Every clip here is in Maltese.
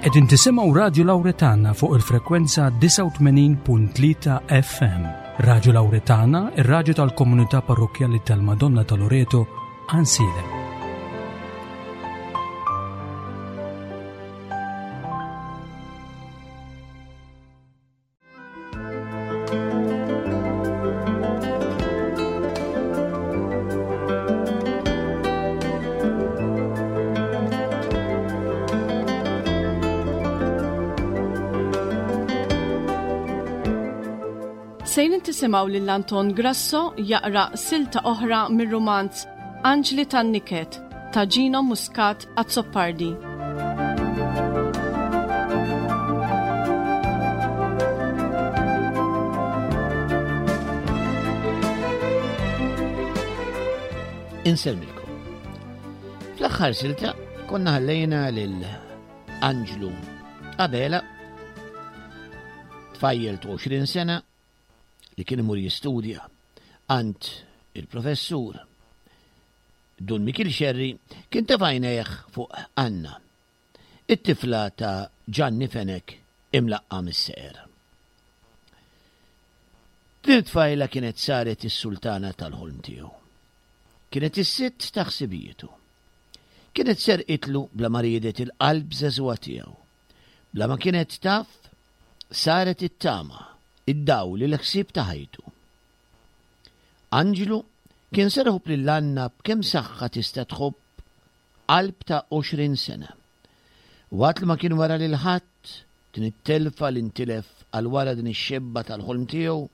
Qegħdin tisimgħu Radju Lawretana fuq il-frekwenza 89.3 FM. Radju Lawretana, ir-radju tal-komunità parrokkjali tal-Madonna ta' Loreto, Ansilem. Sejrin tisimgħu lil Anton Grasso jaqra silta oħra mir-rumanz Anġli tan-Niket ta' Gino Muscat Azzopardi. Insellmilkom. Fl-aħħar silta konna ħallejna lil Anġlu Abela tfajjel 20 sena li kien imur jistudja għand il-professur Dun Mikiel Scerri kien tefa' għajnejh fuq Anna, it-tifla ta' Ġanni Fenech imlaqqam is-Seqer. Din it-tfajla kienet saret is-sultana tal-ħolm tiegħu. Kienet is-sitt ta' ħsibijietu. Kienet serqitlu bla ma riedet il-qalb żagħżugħa tiegħu. Bla ma kienet taf, saret it-tama, id-dawl, il-ħsieb ta' ħajtu. Anġlu kien ser iħobb lil Anna b'kemm saħħa tista' tħobb qalb ta' 20 sena. Waqt li ma kien wera lil ħadd din it-telfa li ntilef għal wara din ix-xebba tal-ħolm tiegħu,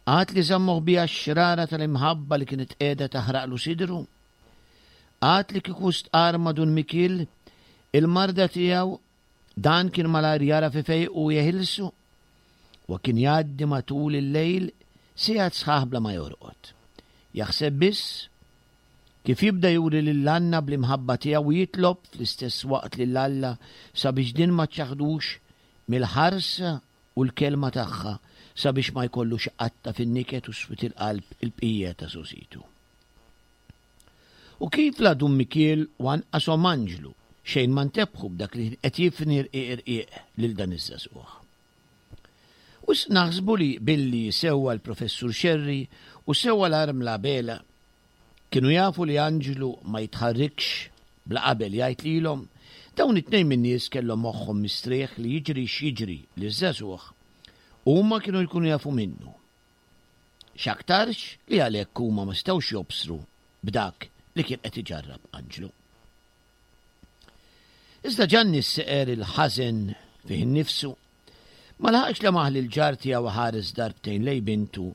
għad li żamm moħbija x-xrara tal-imħabba li kienet qiegħda taħraqlu sidru, għad li kieku stqarr ma' Dun Mikiel il-marda tiegħu Dan kien malajr jagħraf ifejqu u jeħilsu. Huwa kien jgħaddi matul il-lejl sigħat sħaħ bla ma jorqod. Jaħseb biss kif jibda juri lil Anna bl-imħabba tiegħu u jitlob fl-istess waqt lil Alla sabiex din ma ċċaħħdux mill-ħarsa u l-kelma tagħha sabiex ma jkollux iqatta' fin-niket u swied il-qalb il-bqija ta' żgħożitu. U kif la Dun Mikiel u anqas Omm Anġlu xejn ma ntebħu b'dak li kien qed jifni rqiq irqiq lil dan iż-żagħżugħ. Wisq naħsbu li billi sewwa l-Professur Scerri u sewwa l-Armla Abela kienu jafu li Anġlu ma jitħarrikx bla qabel jgħid lilhom, dawn it-tnejn min-nies kellhom moħħhom mistrieħ li jiġri x'jiġri liż-żagħżugħ, huma kienu jkunu jafu minnu. X'aktarx li għalhekk huma ma setgħux jobsru b'dak li kien qed iġarrab Anġlu. Iżda Ġanni s-seqer il-ħażen fih innifsu ma laħaqx lemaħ lill-ġar tiegħu ħares darbtejn lejn bintu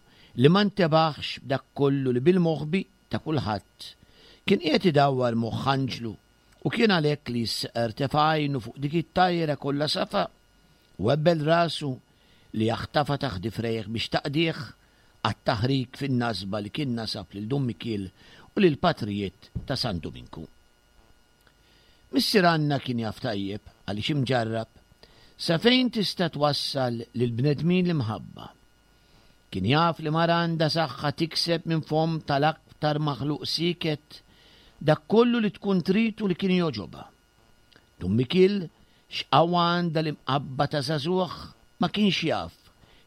li ma ntebaħx b'dak kollu li bil-moħbi ta' kulħadd kien qiegħed idawwar moħħ Anġlu u kien għalhekk li s-seqer tefa' għajnu fuq dik it-tajra kollha safa u ebbel rasu li jaħtafha taħt difrejh biex taqdih għat-taħrik fin-nasba li kien nasab lil Dun Mikiel u lill-patrijiet ta' San Duminku. Missier Anna kien jaf tajjeb, għaliex imġarrab, sa fejn tista' twassal lill-bnedmin l-imħabba. Kien jaf li mara għandha saħħa tikseb minn fomm tal-aktar maħluq sieket dak kollu li tkun trid u li kien jogħġobha. Dun Mikiel x'qawwa għandha l-imqabba ta' żagħżugħ ma kienx jaf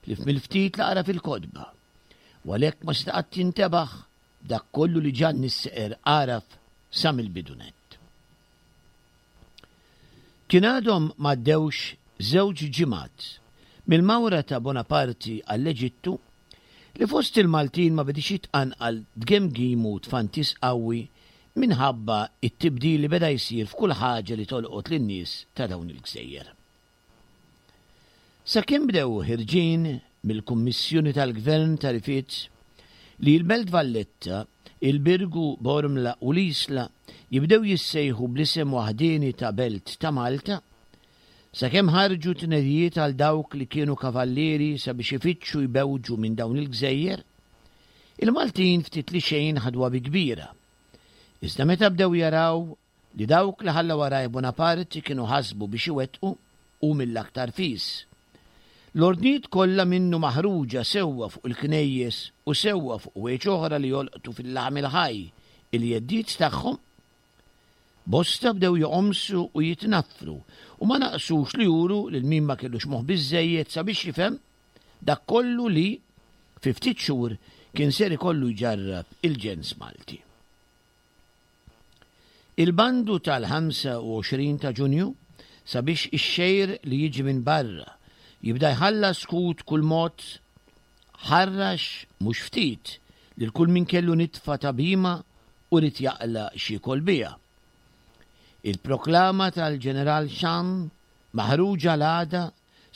ħlief mill-ftit li qara fil-kotba, u għalhekk ma seta' qatt jintebaħ b'dak kollu li Ġanni s-Seqer għaraf sa mill-bidu nett. Kien għadhom m'għaddewx żewġ ġimgħat mill-mawra ta' Bonaparti għall-Eġittu li fost il-Maltin ma bediex jitqanqal tgemgim u tfantis qawwi minħabba t-tibdil li beda jsir f'kull ħaġa li tolqot lin-nies ta' dawn il-gżejjer. Sakemm bdew ħirġin mill-Kummissjoni tal-Gvern tagħrifiet li l-Belt Valletta, il-Birgu, Bormla u l-Isla jibdew jissejħu bl-isem waħdieni ta' Belt ta' Malta, sakemm ħarġu tnedijiet għal dawk li kienu kavallieri sabiex ifittxu jbewġu minn dawn il-gżejjer, il-Maltin ftit li xejn ħaduha bi kbira. Iżda meta bdew jaraw li dawk li ħalla warajh Bonaparte kienu ħasbu biex iwettqu, u mill-aktar fis, l-ordnijiet kollha minnu maħruġa sewwa fuq il-knejjes u sewwa fuq ħwejjeġ oħra li jolqtu fil-laħam il-ħaj il-jeddiet tagħhom, Bosta bdew joqomsu u jitnaffru u ma naqsux li juru lil min ma kellux moħħ biżżejjed sabiex jifhem dak kollu li, fi ftit xhur, kien ser ikollu jġarrab il-ġens Malti. Il-bandu tal-25 ta' Ġunju sabiex ix-xgħir li jiġi minn barra jibda jħallas kut kull mod ħarrax mhux ftit lil kull min kellu nitfa ta' bhima u ried jaqla' x'jiekol biha. Il-proklama tal-Ġeneral Cham maħruġa l-għada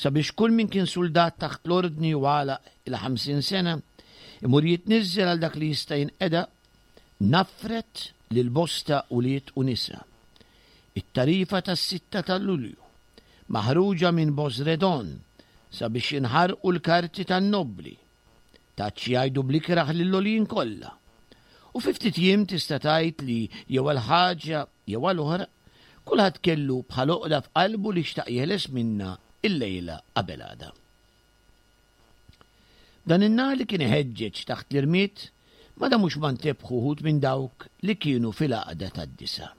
sabiex kull min kien suldat taħt l-ordni u għalaq il-50 sena imur jitniżżel għal dak li jista' jinqeda, naffret lil bosta ulied u nisa. It-tarifa tas-sitta ta' Lulju, maħruġa minn Bosredon sabiex jinħarqu l-karti tan-nobbli, tat xi jgħidu bl-ikrah lill-għoljin kollha. U fi ftit jiem tista' tgħid li jew għal ħaġa jew għal oħra, kulħadd kellu bħal għoqda f'qalbu li xtaq jeħles minnha illejla qabel għada. Dan in-nar li kien iħeġġeġ taħt l-irmied ma damux ma ntebħu wħud minn dawk li kienu fil-għaqda tad-disa'.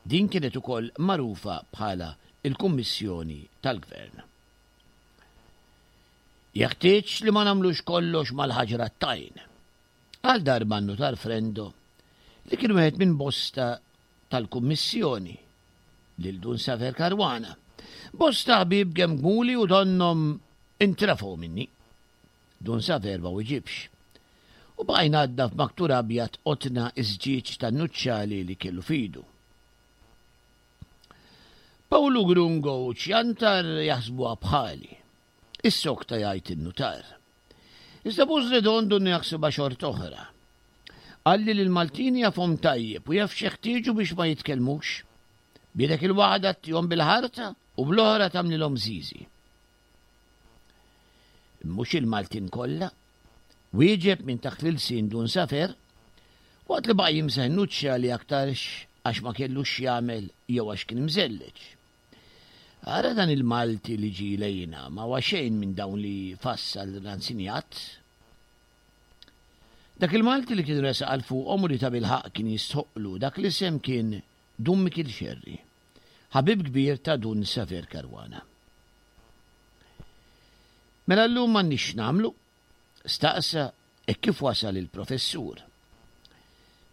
Din kienet ukoll magħrufa bħala l-Kummissjoni tal-Gvern. Jeħtieġ li ma nagħmlux kollox mal-ħaġra t-tajn. Għal darba n-Nutar Frendo, li kien wieħed minn bosta tal-Kummissjoni, lil Dun Saver Caruana. Bosta ħbieb gemgmuli u donnhom intrefgħu minni. Dun Saver ma wiġibx. U baqa' jnaddaf maktur abjad qotna ż-żġieġ tan-nuċċali li kellu f'idu. Pawlu Grungo u Ciantar jaħsbuha bħali. Issokta jgħid in-nutar. Iżda Buz Redondo donnu jaħsibha xorta oħra. Qalli li l-Maltin jafhom tajjeb u jaf x'jeħtieġu biex ma jitkellmux. B'idek il-waħda ttihom bil-ħarta u bl-oħra tagħmlilhom żiżi. Mhux il-Maltin kollha, wieġeb minn taħt l-ilsien Dun Safer, waqt li baqa' jimsaħ in-nuċċali aktarx għax ma kellux x'jagħmel jew għax kien imżelleġ. Ara dan il-Malti li ġie lejna ma huwa xejn minn dawn li fassal Ransinjat. Dak il-Malti li kien resaq għal fuqhom u li tabilħaqq kien jistħoqqlu dak l-isem kien Dun Mikiel Xerri, ħabib kbir ta' Dun Saver Caruana. Mela llum m'għandniex x'nagħmlu? Staqsa hekk kif wasal il-Professur.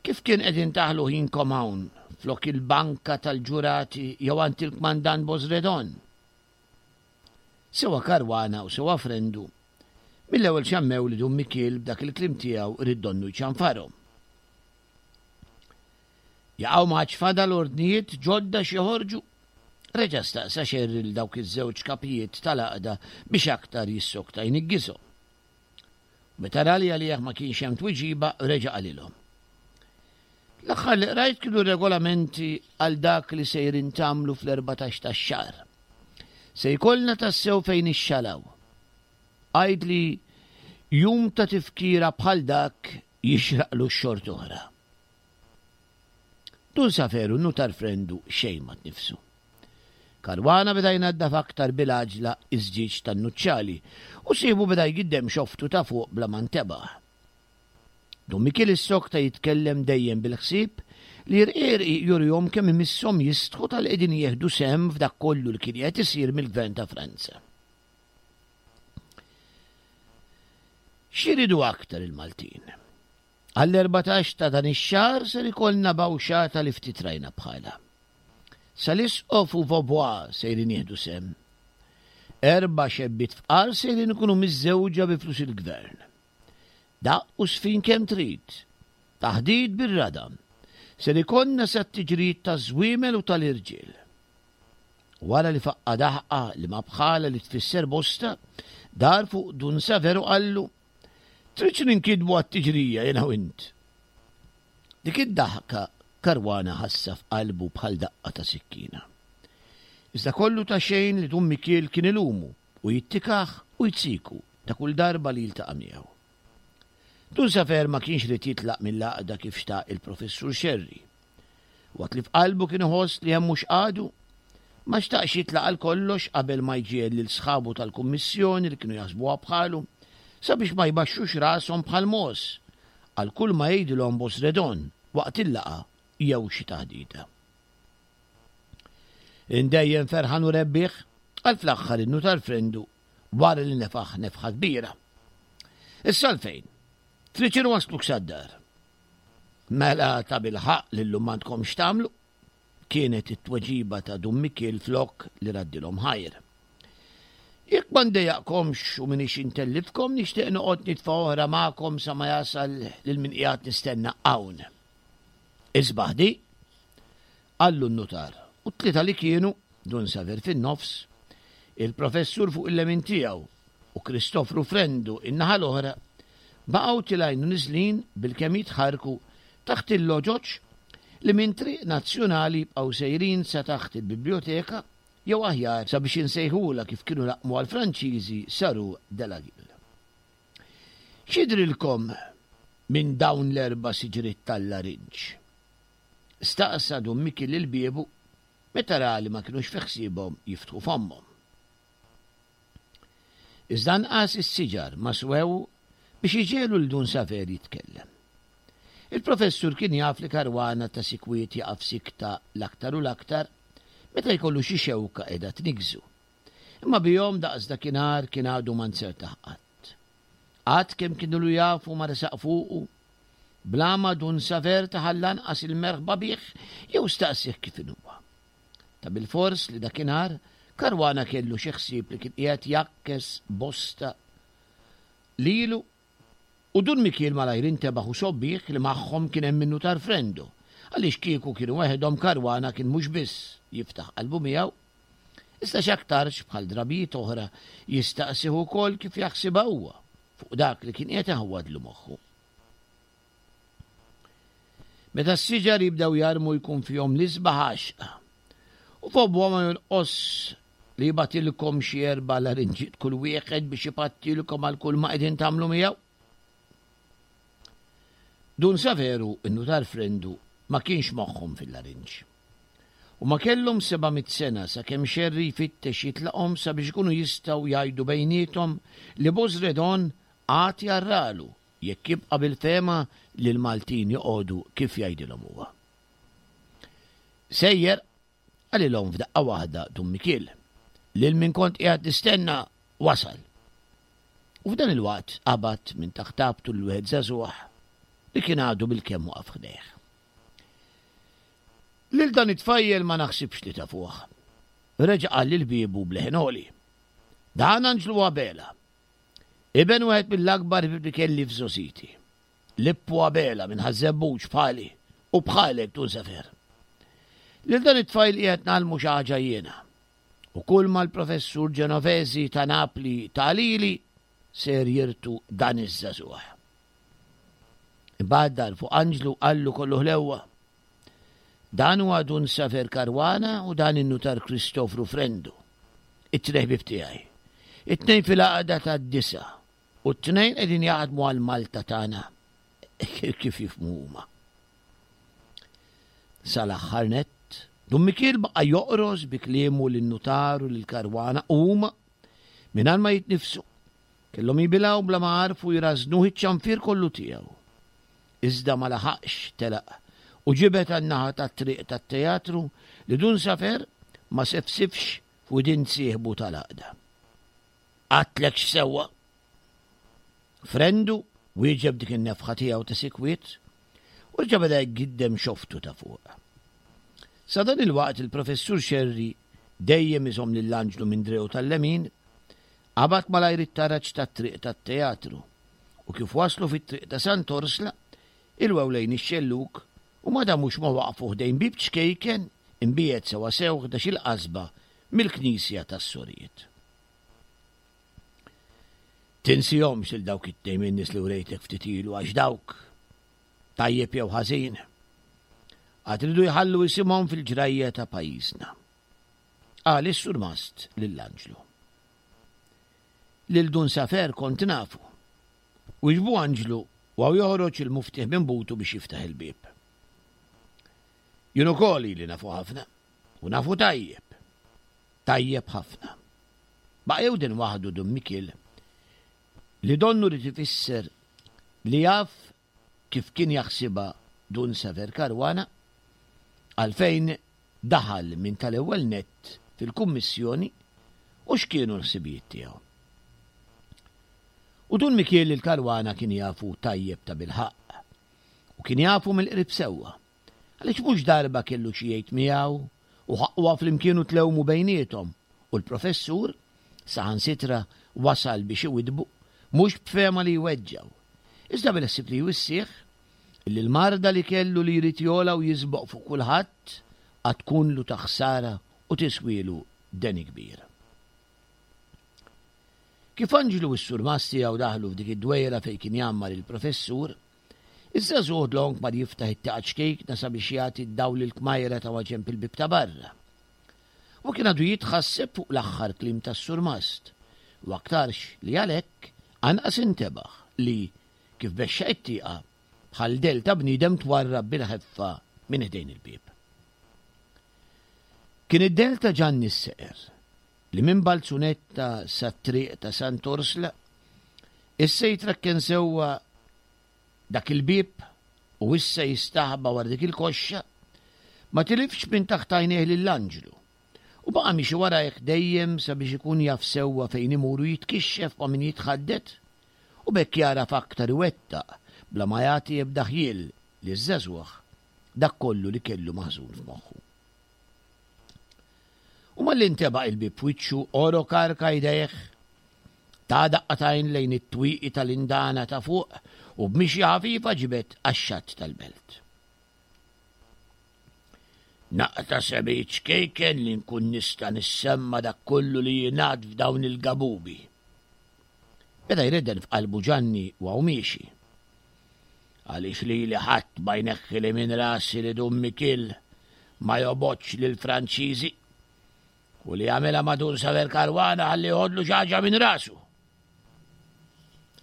Kif kien qegħdin taħlu ħinkom hawn flok il-banka tal-ġurati jew għand il-Kmandant Bosredon? Sewa Caruana u sewa Frendu mill-ewwel xammew li Dun Mikiel b'dak il-kliem tiegħu ried donnu jċanfarhom. Jaqaw ma għadx fadal ordnijiet ġodda x'joħorġu? Reġa' staqsa Xerri lil dawk iż-żewġ kapijiet tal-għaqda biex aktar jissokta jniggishom. Meta ra li għalih ma kienx hemm twiġiba, reġa' qalilhom. L-aħħar li qrajt kienu regolamenti għal dak li sejrin tagħmlu fl-14 tax-xahar. Se jkollna tassew fejn ixxalaw. Għidli jum ta' tifkira bħal dak jixraqlu xort'oħra. Dun Saferu n-nutar Frendu xejn ma tniffsu. Caruana beda jnaddaf aktar bil-għaġla iż-żġieġ tan-nuċċali u sieħbu beda jgiddem xoftu ta' fuq bla ma ntebaħ. Dun Mikiel issokta jitkellem dejjem bil-ħsieb li rqiq rqiq jurihom kemm imisshom jistħu talli qegħdin jieħdu sehem f'dak kollu li kien qiegħed isir mill-Gvern ta' Franza. X'iridu aktar il-Maltin? Għall-14 ta' dan ix-xahar ser ikollna bawxata li ftit rajna bħalha. Sal-Isqof u Vaubois sejrin jieħdu sehem. Erba' xebbiet fqar sejrin ikunu miżżewġa bi flus il-Gvern. Daqq u żfin kemm trid. Taħdit bir-radam. Ser ikollna sat-tiġrijiet taż-żwiemel u tal-irġiel. Wara li faqqa' daħqa li ma bħalha li tfisser bosta, dar fuq Dun Saver u qallu, Tridx ninkidbu għat-tiġrija jiena u int? Dik id-daħka Caruana ħassha f'qalbu bħal daqqa ta' sikkina. Iżda kollu ta' xejn li Dun Mikiel kien ilumu u jittikah u jziku ta' kull darba li jiltaqa' miegħu. Dun Safer ma kienx ried jitlaq mill-għaqda kif xtaq il-Professur Scerri. Waqt li f'qalbu kien iħoss li hemm mhux għadu, ma xtaqx jitlaq għal kollox qabel ma jġiegħel lil sħabu tal-Kummissjoni li kienu jaħsbuha bħalu sabiex ma jbaxxux rashom bħal mogħoż għal kull ma jgħidilhom Bosredon waqt il-laqgħa. jew xi taħdita. Indejjem ferħan u rebbieħ, qal fl-aħħar in-nutar Frendu wara li nefaħ nefħa kbira. Issa għalfejn? Trid inwassluk sad-dar. Mela tabilħaqq li llum m'għandkomx x'tagħmlu? Kienet it-tweġiba ta' Dun Mikiel flok li raddilhom ħajr. Jekk ma ndejjaqkomx u m'iniex intellifkom nixtieq noqgħod nitfa' oħra magħkom sa ma jasal lil min qiegħed nistenna hawn. Isbaħ di! Qallu n-nutar, u t-tlieta li kienu, Dun Saver fin-nofs, il-Professur fuq il-lemin tiegħu u Kristofru Frendu in-naħa l-oħra, baqgħu tilgħin u niżlin bilkemm jitħarrku taħt il-loġoġ li minn Triq Nazzjonali jibqgħu sejrin sa taħt il-Bibljoteka jew aħjar sabiex insejħulha kif kienu laqqmuha l-Franċiżi sa Rue de la Guille. X'jidhrilkom minn dawn l-erba' siġriet tal-larinġ? Staqsa Dun Mikiel lil biebu meta ra li ma kinux fi ħsiebhom jiftħu fommhom. Iżda anqas is-siġar ma swew biex iġegħlu lil Dun Saver jitkellem. Il-Professur kien jaf li Caruana ta' sikwit jaqa' f'sikta l-aktar u l-aktar meta jkollu xi xewka qiegħda tniggżu. Imma bihom daqs dakinhar kien għadu ma nzertah qatt. Qatt kemm kien ilu jafu ma resaq fuqu, bla ma Dun Saver tah għall-anqas il-merħba bih jew staqsieh kif inhuwa. Ta' bilfors li dakinhar Caruana kellu xi ħsieb li kien qiegħed jgħakkes bosta lilu u Dun Mikiel malajr intebaħ u sobbih li magħhom kien hemm in-Nutar Frendo, għaliex kieku kienu weħidhom Caruana kien mhux biss jiftaħ qalbu miegħu, iżda x'aktarx bħal drabijiet oħra jistaqsih ukoll kif jaħsibha huwa fuq dak li kien qiegħed iħawwadlu moħħu. Meta s-siġar jibdew jarmu jkun fihom l-isbaħ għaxqa. U f'obwa ma jonqos li jibgħatilkom xi erba' larinġiet kull wieħed biex ipattilkom għal kull ma qegħdin tagħmlu miegħu. Dun Saveru, in-nutar Frendu, ma kienx moħħhom fil-larinġ. U ma kellhom 700 sena sakemm Xerri jfittex jitlaqhom sabiex ikunu jistgħu jgħidu bejniethom li Bosredon għad jarralu jekk jibqa' bil-fehma li l-Maltin joqogħdu kif jgħidilhom huwa. Sejjer, qalilhom f'daqqa waħda Dun Mikiel, lil min kont qiegħed nistenna wasal. U f'dan il-waqt qabad minn taħt għabtu lil wieħed żagħżugħ li kien għadu bilkemm waqaf ħdejh. Lil dan it-tfajjel ma naħsibx li tafuh. Reġa' qal lil biebu b'leħen għoli. Dan Anġlu Abela. Iben wieħed mill-akbar ħbieb li kelli f'żgħożiti. Lippu Abela minn Ħaż-Żebbuġ bħali u bħalek Dun Sefer. Lil dan it-tfajl qiegħed ngħallmu xi ħaġa jiena. U kulma l-Professur Genovesi ta' Napli ta lili ser jirtu dan iż-żagħżugħ. Imbagħad dar fuq Anġlu qallu kollu ħlewwa. Dan huwa Dun Saver Caruana u dan in-Nutar Kristofru Frendu, it-tnejn ħbieb tiegħi. It-tnejn fil-għaqda tad-disa' u t-tnejn qegħdin jaħdmu għal Malta tagħna kif jifhmu huma. Sal-aħħar nett, Dun Mikiel baqa' joqros bi kliemu lin-nutar u lil Caruana u huma, mingħajr ma jitnifsu, kellhom jibilgħu bla ma għarfu jrażżnuh iċ-ċanfir kollu tiegħu. Iżda ma laħaqx telaq u ġibed għan-naħa tat-triq tat-teatru li Dun Safer ma sefsifx f'widin sieħbu tal-għaqda. Għadtlekx sewwa? Frendu wieġeb dik in-nefħa tiegħu ta' sikwiet u reġa' beda jgiddem xoftu ta' fuq. Sa dan il-waqt il-Professur Scerri dejjem iżomm lil Anġlu minn driegħu tal-lemin, qabad malajr it-taraġ tat-triq tat-teatru u kif waslu fit-triq ta' Sant'Orsla, ilwew lejn ix-xellug u ma damux ma waqfu ħdejn bieb ċkejken imbiegħed sewwasew ħdax-il qasba mill-knisja tas-Sorijiet. Tinsihomx lil dawk it-tnejn min-nies li wrejtek ftit ilu għax dawk, tajjeb jew ħażin, għad iridu jħallu isimhom fil-ġrajja ta' pajjiżna. Qal is-surmast lil Anġlu. Lil Dun Safer kont nafu. Wieġbu Anġlu u hawn joħroġ il-muftieħ minn butu biex jiftaħ il-bieb. Jien ukoll ili nafu ħafna u nafu tajjeb. Tajjeb ħafna. Baqa' jewden waħdu Dun Mikiel li donnu ried ifisser li jaf kif kien jaħsibha Dun Saver Caruana. Għalfejn daħal minn tal-ewwel nett fil-Kummissjoni u x'kienu l-ħsibijiet tiegħu. U Dun Mikiel lil Caruana kien jafu tajjeb tabilħaqq. U kien jafu mill-qrib sewwa. Għaliex mhux darba kellu xi jgħid miegħu u ħaqquha flimkien u tlewmu bejniethom u l-Professur saħansitra wasal biex iwiddbu, mhux b'fehma li jweġġgħu, iżda bil-ħsieb li jwissih illi l-marda li kellu li jrid jogħla u jisboq fuq kulħadd għad tkunlu ta' ħsara u tiswielu deni kbir. Kif Anġlu u s-surmast tiegħu daħlu f'dik id-dwejra fejn kien jgħammar il-Professur, iż-żagħżugħ dlonk mar jiftaħ it-tieqa ċkejkna sabiex jagħti d-dawl lill-kmajra ta' maġenb il-bieb ta' barra. Huwa kien għadu jitħasseb fuq l-aħħar kliem tas-surmast, u aktarx li għalhekk anqas intebaħ li, kif bexxaq it-tieqa, bħal dell ta' bniedem twarrab bil-ħeffa minn ħdejn il-bieb. Kien id-dell ta' Ġanni s-Seqer, li minn Balzunetta sat-triq ta' Sant'Orsla, issa jitrakken sewwa dak il-bieb u issa jistaħba wara dik il-koxxa, ma tilifx minn taħt għajnejh lil Anġlu, u baqa' miexi warajh dejjem sabiex ikun jaf sewwa fejn imur u jitkixxef ma' min jitħaddet, u b'hekk jagħraf aktar iwettaq bla ma jagħti ebda ħjiel liż-żagħżugħ dak kollu li kellu maħżun f'moħħu. U malli ntebaq il-bieb f'wiċċu, għorok arka jdejh, ta daqqa t'għajn lejn it-twieqi tal-indana ta' fuq u b'mixja ħafifa ġibed għax-xatt tal-belt. Naqta' semi ċkejken li nkun nista' nissemma' dak kollu li jingħad f'dawn il-gabubi. Beda jredden f'qalbu Ġanni u hawn miexi. Għaliex lili ħadd ma jneħħili minn rasi li Dun Mikiel ma jobgħodx lill-Franċiżi u li għamilha ma' Dun Saver Caruana ħalli joħodlu xi ħaġa minn rasu.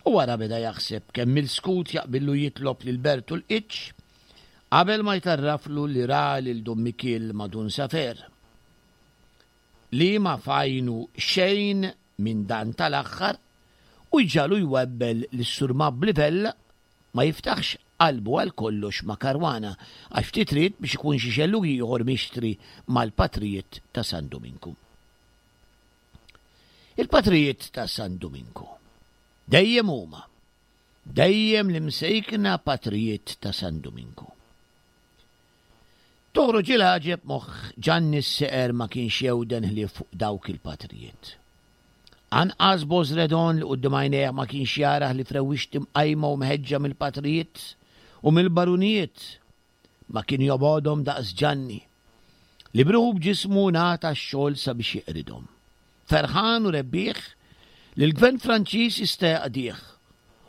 U wara beda jaħseb kemm il-skut jaqbillu jitlob lil Bertu l-Qiċċ qabel ma jtarraflu li ra lil Dun Mikiel ma' Dun Safer. Li ma f'għajnu xejn minn dan tal-aħħar u jġagħlu jwebbel lis-Sur Mabbli Vella ma jiftaħx qalbu għal kollox ma' Caruana għax ftit ried biex ikun xi xellug ieħor mixtri mal-patrijiet ta' San Duminku. Il-patrijiet ta' San Duminku. Dejjem huma. Dejjem l-imsejkna patrijiet ta' San Duminku. Toħroġ il-għaġeb moħħ Ġanni s-Seqer ma kienx jewden ħlief fuq dawk il-patrijiet. Anqas Bożredon li quddiem għajnejh ma kienx jara ħlief rewwixti mqajma u mħeġġa mill-patrijiet u mill-barunijiet Ma kien jobgħodhom daqs Ġanni, li b'ruħu b'ġismu ngħata x-xogħol sabiex jeqridhom. Ferħan u rebbieħ li l-Gvern Franċiż jista' jaqdih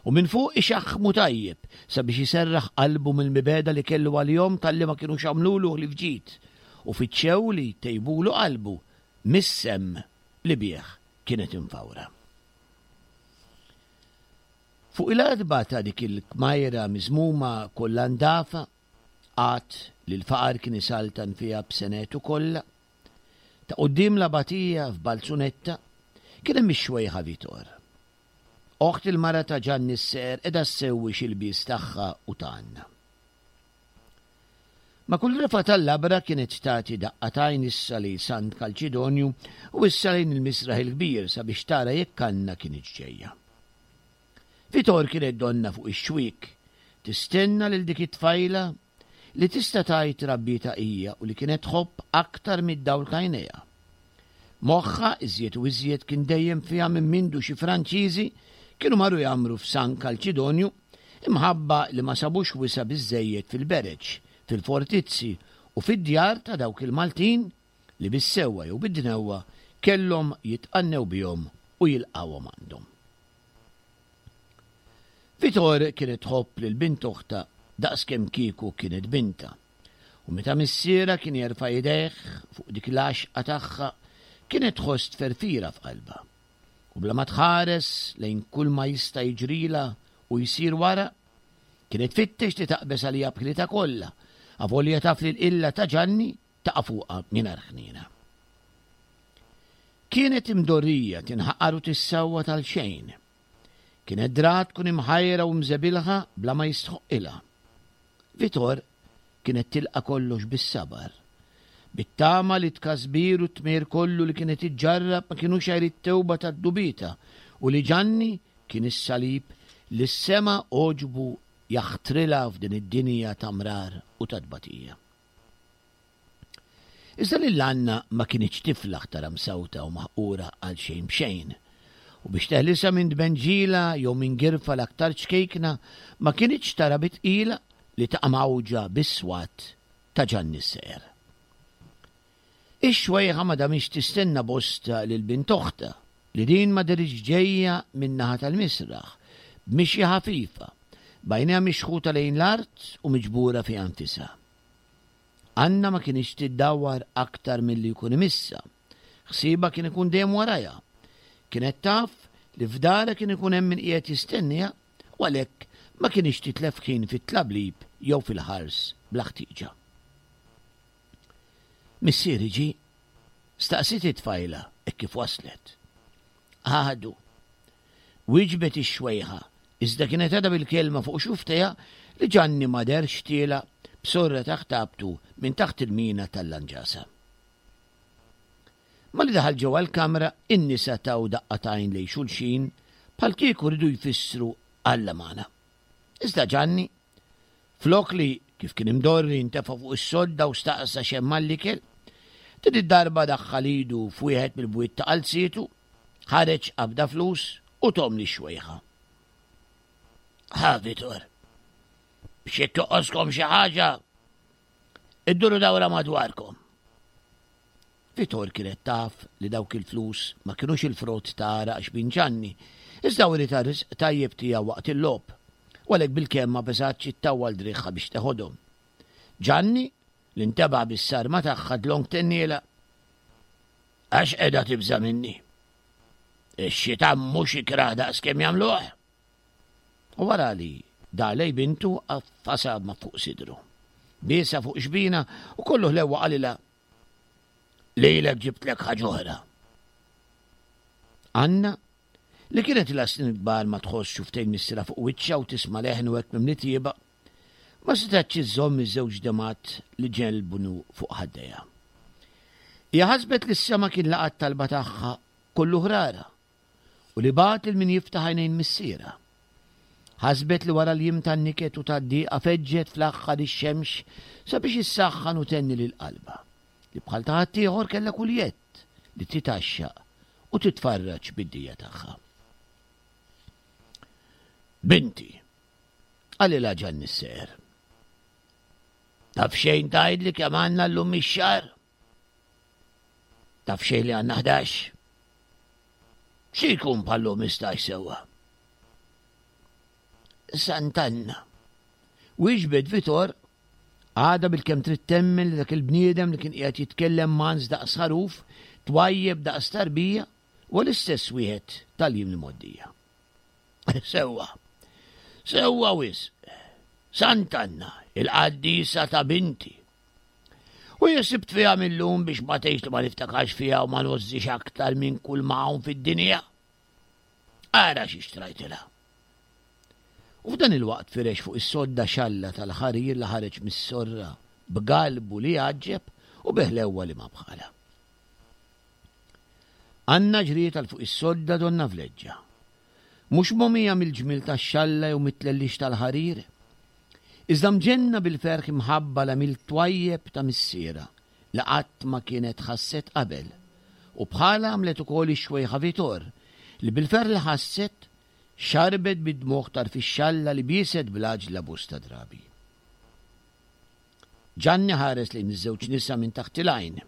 u minn fuq ixaħħmu tajjeb sabiex iserraħ qalbu mill-mibegħda li kellu għalihom talli ma kinux għamlulu ħlief ġid u fittxew li jtejbulu qalbu mis-semm li bih kienet imfawra. Fuq il-għatba ta' dik il-kmajra miżmuma kollha ndafa, għad li l-faqar kien isaltan fiha b'senetu kollha, ta' quddiem l-abatija f'Balzunetta, kien hemm ix-xwejħa Vitor. Oħt il-mara ta' Ġanni s-Seqer qiegħda ssewwi xi lbies tagħha u ta' Anna. Ma' kull refgħa tal-labra kienet tagħti daqqa t'għajn issa lejn Sant Kalċidonju u issa lejn il-Misraħ il-Kbir sabiex tara jekk Anna kinitx ġejja. Vitor kienet donnha fuq ix-xwiek, tistenna lil dik it-tfajla li tista' tgħid rabbietha hija u li kienet tħobb aktar mid-dawl t'għajnejha. Moħħha iżjed u iżjed kien dejjem fiha minn mindu xi Franċiżi kienu marru jgħammru f'San Kalċidonju imħabba li ma sabux wisa' biżżejjed fil-bereġ, fil-fortizzi u fid-djar ta' dawk il-Maltin li bis-sewwa jew bid-dnewwa kellhom jitqannew bihom u jilqgħuhom għandhom. Vitor kienet tħobb lil bint oħtha daqskemm kieku kienet bintha, u meta missierha kien jerfa' idejh fuq dik l-għaxqa tagħha kienet tħoss tferfira f'qalbha, u bla ma tħares lejn kulma jista' jiġrilha u jsir wara, kienet tfittex li taqbeż għaliha b'ħilitha kollha, avolja taf li l-qilla ta' Ġanni taqa' fuqha mingħajr ħniena. Kienet imdorrija tinħaqar u tissawwat għal xejn. Kienet drat tkun imħajra u mżebilħa bla ma jistħoqqilha. Vitor Kienet tilqa' kollox bis-sabar, bit-tama li t-tkasbir u t-tmejr kollu li kienet iġġarrab ma kinux għajr it-tewba ta' dnubietha u li Ġanni kien is-salib li s-sema għoġbu jaħtrilha f'din id-dinja ta' mrar u ta' tbatija. Iżda lil Anna ma kinitx tiflaħ tara msawta u maħqura għal xejn b'xejn. U biex teħlisha minn tbenġila jew minn girfa l-aktar ċkejkna ma kinitx tara bi tqila li taqa' mgħawġa bis-swat ta' Ġanni s-Seher. Ix-xwejħa ma damitx tistenna bosta lil bint oħtha, li din ma dehritx ġejja min-naħa tal-misraħ, b'mixja ħafifa, b'għajnejha mixħuta lejn l-art u miġbura fiha nfisha. Anna ma kinitx tiddawwar aktar milli jkun imissha. Ħsiebha kien ikun dejjem warajha. Kienet taf li f'darha kien ikun hemm min qiegħed jistenniha u għalhekk ma kinitx titlef ħin fit-tlablib jew fil-ħars bla ħtieġa. Missieri ġie? staqsiet it-tfajla hekk kif waslet. Għadu. Wieġbet ix-xwejħa, iżda kienet għadha bil-kelma fuq xufftejha li Ġanni ma deherx tiela' b'sorra ta' ħtabtu minn taħt il-mina tal-lanġasa. Malli daħal ġewwa l-kamra, in-nisa taw daqqa t'għajn lejn xulxin bħal kieku riedu jfissru Alla magħna. Iżda Ġanni, flok li, kif kien imdorri, ntefa' fuq is-sodda u staqsa x'hemm għall-ikel, din id-darba daħħal idu f'wieħed mill-bwiet ta' qalzietu, ħareġ qabda flus u thom lix-xwejħa. Ħa, Vitor, biex jekk toqgħoskom xi ħaġa, idduru dawra madwarkom. Vitor kienet taf li dawk il-flus ma kinux il-frott ta' għaraq xbin Ġanni, iżda wrietha r-risq tajjeb tiegħu waqt il-logħob, u għalhekk bilkemm ma beżgħetx ittawwal driegħha biex teħodhom. Ġanni, li ntebaħ bis-sarma tagħha dlonk tennielha, Għax qiegħda tibża' minni? Ix-xitan mhux ikrah daqskemm jagħmluh! U wara li dar lejn bintu għaffasha ma' fuq sidru. Biesha fuq xbinha u kollu ħlewwa qalilha, Lilek ġibtlek ħaġa oħra. Anna, li kienet ilha snin kbar ma tħoss xuftejn missierha fuq wiċċha u tisma' leħnu hekk mimli tjieba, ma setgħetx iżżomm iż-żewġ demgħat li ġelbnu fuq ħaddejha. Hija ħasbet li s-sema kien laqa' t-talba tagħha kollu ħrara u li bagħat lil min jiftaħ għajnejn missierha. Ħasbet li wara l-jiem tan-niket u tad-dieqa feġġet fl-aħħar ix-xemx sabiex issaħħan u thenni lil qalbha, li bħal ta' ħaddieħor kellha kull jedd li titgħaxxaq u titfarraġ bid-dija tagħha. Binti, qalilha Ġanni s-Seher. Taf xejn tgħidli kemm għandna llum ix-xahar? Taf xejn li għandna 11? Xi jkun bħallum 15 sewwa? Sant'Anna. Wieġbet Vitor, għadha bilkemm trid temmen li dak il-bniedem li kien qiegħed jitkellem mans daqs ħaruf, twajjeb daqs tarbija, huwa l-istess wieħed tal-jiem li mgħoddija. Sewwa. Sewwa wisq. Sant'Anna, il-qaddisa ta' binti. U jien sibt fiha mil-lum biex ma tgħidx li ma niftakarx fiha u ma ngħożżix aktar minn kull ma hawn fid-dinja. Ara xi xtrajtilha. U f'dan il-waqt firex fuq is-sodda xalla tal-ħarir li ħareġ mis-sorra b'galbu li jgħaġġeb u bi ħlewwa li ma bħalha. Anna ġriet għal fuq is-sodda donnha vleġġa. Mhux mogħmija mill-ġmiel tax-xalla jew mit-tlellix tal-ħarir, iżda mġenna bil-ferħ imħabba l-għemil twajjeb ta' missierha li qatt ma kienet ħasset qabel, u bħalha għamlet ukoll ix-xwejħa Vitor li bil-ferħ li ħasset xarbet bid-dmugħ tarf ix-xalla li bieset bl-għaġla bosta drabi. Ġanni ħares lejn iż-żewġ nisa minn taħt il-għajn.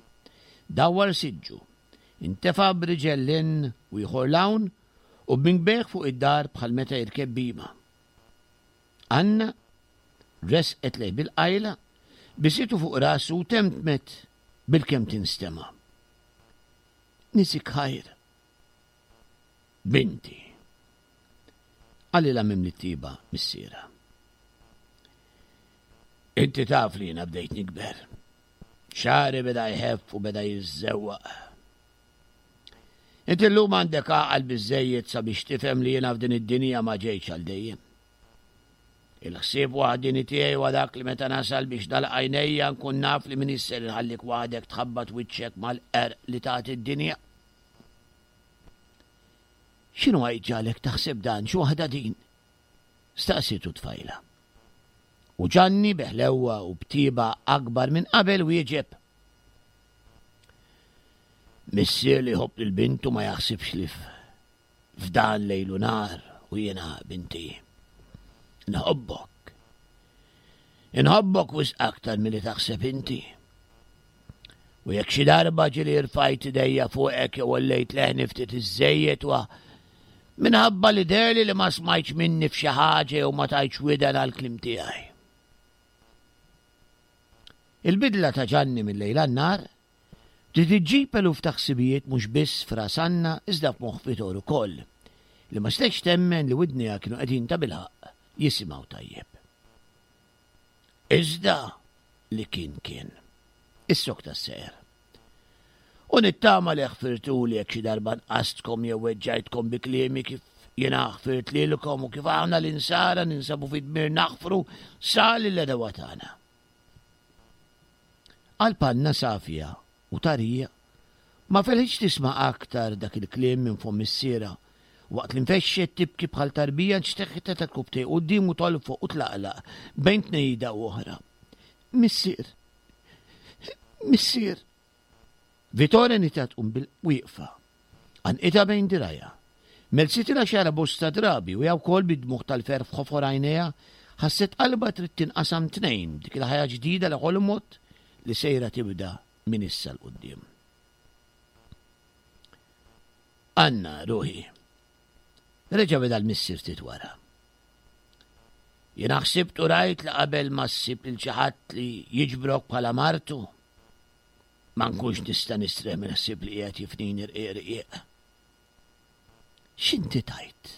Dawwar siġġu. Intefa' b'riġel 'l hinn u ieħor 'l hawn u b'minkbejh fuq id-dar bħal meta jirkeb bhima. Anna resqet lejh bil-qajla, bisitu fuq rasu u temtmet bilkemm tinstema'. Nisik ħajr. Binti. Qalilha mimli t-tieba missierha. Inti taf li jiena bdejt nikber. Xagħri beda jħeff u beda jiżżewwaq. Inti llum għandek għaqal biżżejjed sabiex tifhem li jiena f'din id-dinja ma ġejtx għal dejjem. Il-ħsieb waħdieni tiegħi huwa dak li meta nasal biex nagħlaq għajnejja nkun naf li m'iniex ser inħallik waħdek tħabbat wiċċek mal-qerq li tagħti d-dinja. X'inhu jġagħlek taħseb dan, xi waħda din? Staqsietu t-tfajla. U Ġanni bi ħlewwa u b'tieba akbar minn qabel wieġeb. Missier li jħobb lil bintu ma jaħsibx li f'dan lejl u nhar u jiena binti. Nħobbok. Inħobbok wisq aktar milli taħseb inti. U jekk xi darba ġieli rfajt idejja fuqek jew għollejt leħni ftit iżżejjed wa minħabba li deherli li ma smajtx minni f'xi ħaġa jew ma tajtx widen għall-kliem tiegħi. Il-bidla ta' Ġanni mil-lejl għan-nhar bdiet iġġib eluf ta' ħsibijiet mhux biss f'ras Anna iżda f'moħħ Vitor ukoll, li ma setgħetx temmen li widnejha kienu qegħdin tabilħaqq jisimgħu tajjeb. Iżda li kien kien. Issokta s-seher. U nittama li ħfirtuli jekk xi darba nqastkom jew weġġajtkom bi kliemi kif jiena ħfirt lilkom u kif aħna l-insara ninsabu fi dmir naħfru sa lill-għedewwa tagħna. Qalb Anna safja u tarija ma felħitx tisma' aktar dak il-kliem minn fomm missierha waqt li nfexxet tibki bħal tarbija nxteħħtet għal quddiemu tolfoq u tlaqlaq bejn tnejda u oħra. Missier! Missier! Vittoria nita tqum bil-wieqfa. Għanqitha bejn dirgħajha. Melsitilha xagħarha bosta drabi u hija wkoll bid-dmugħ tal-ferħ f'ħofor għajnejha ħasset qalbha trid tinqasam tnejn b'dik il-ħajja ġdida li ħolmot li sejra tibda minn issa 'l quddiem. Anna, ruħi. Reġa' beda l-missier ftit wara. Jiena ħsibt u rajt li qabel ma ssib lil xi ħadd li jiġbrok bħala martu, ma nkunx nista' nistrieħ mill-ħsieb li qiegħed jifnini rqiq rqiq. X'inti tgħid?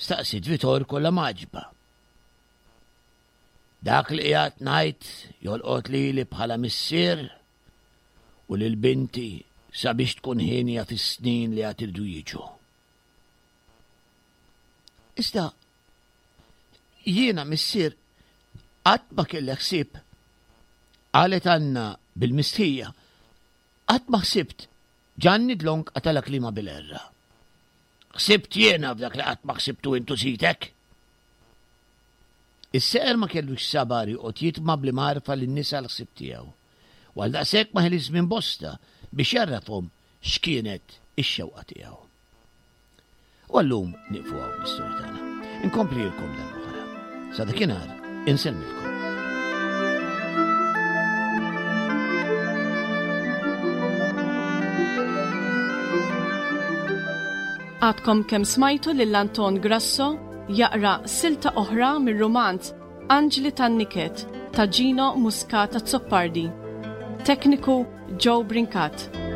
Staqsiet Vitor kollha mgħaġġba. Dak li qiegħed ngħid jolqot lili bħala missier u lil binti sabiex tkun hienja fis-snin li għad iridu jiġu. Iżda jiena missier qatt ma kelli ħsieb, qalet Anna bil-mistħija, qatt ma ħsibt. Ġanni dlonk qatalha kliemha bil-għerra. Ħsibt jiena f'dak li qatt ma ħsibtu int u sidek? Is-seqer ma kellux sabar joqgħod jitma' bl-imgħarfa lin-nisa l-ħsieb tiegħu, u għaldaqshekk ma ħeliex żmien bosta biex jgħarrafhom x'kienet ix-xewqa tiegħu. U għallum nieqfu hawn bl-istorja tagħna. Inkomplilkom darb'oħra. Sa dakinhar insellmilkom. Għadkom kemm smajtu lil Anton Grasso jaqra silta oħra mir-rumanz Anġli tan-Niket ta' Gino Muscat Azzopardi. Tekniku Joe Brincat.